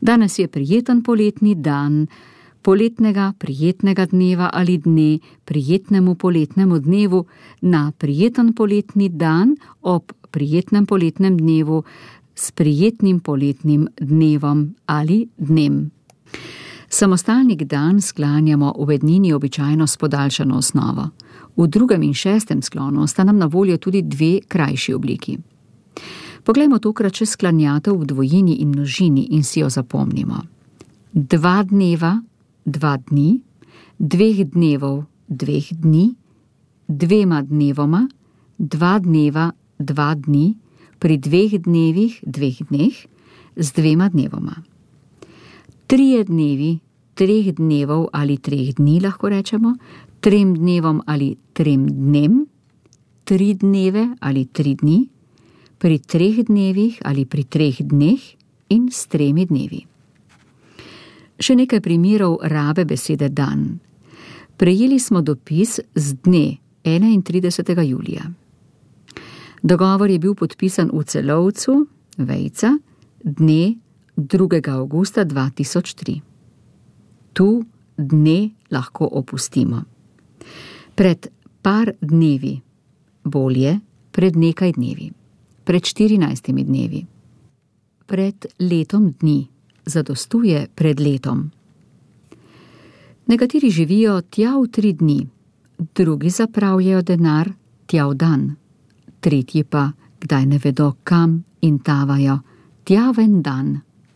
Danes je prijeten poletni dan, poletnega prijetnega dneva ali dne prijetnemu poletnemu dnevu na prijeten poletni dan ob prijetnem poletnem dnevu s prijetnim poletnim dnevom ali dnem. Samostalnik dan sklanjamo v ednini običajno s podaljšano osnovo. V 2. in 6. sklonu sta nam na voljo tudi 2 krajši obliki. Poglejmo tokrat še sklanjatev v dvojini in množini in si jo zapomnimo. 2 dneva, 2 dni, 2 dnevov, 2 dni, 2 dnevoma, 2 dneva, 2 dni, pri 2 dnevih, 2 dneh, z 2 dnevoma. 3 dnevi, 3 dnevov ali 3 dni lahko rečemo, 3 dnevom ali 3 dnem, 3 dneve ali 3 dni, pri 3 dnevih ali pri 3 dneh in s 3 dnevi. Še nekaj primerov rabe besede dan. Prejeli smo dopis z dne 31. julija. Dogovor je bil podpisan v Celovcu, Vejca, dne 2. avgusta 2003. Tu dne lahko opustimo. Pred par dnevi, bolje pred nekaj dnevi, pred 14 dnevi, pred letom dni, zadostuje pred letom. Nekateri živijo tja v 3 dni, drugi zapravljajo denar tja v dan, tretji pa, kdaj ne vedo kam in tavajo, tja v en dan.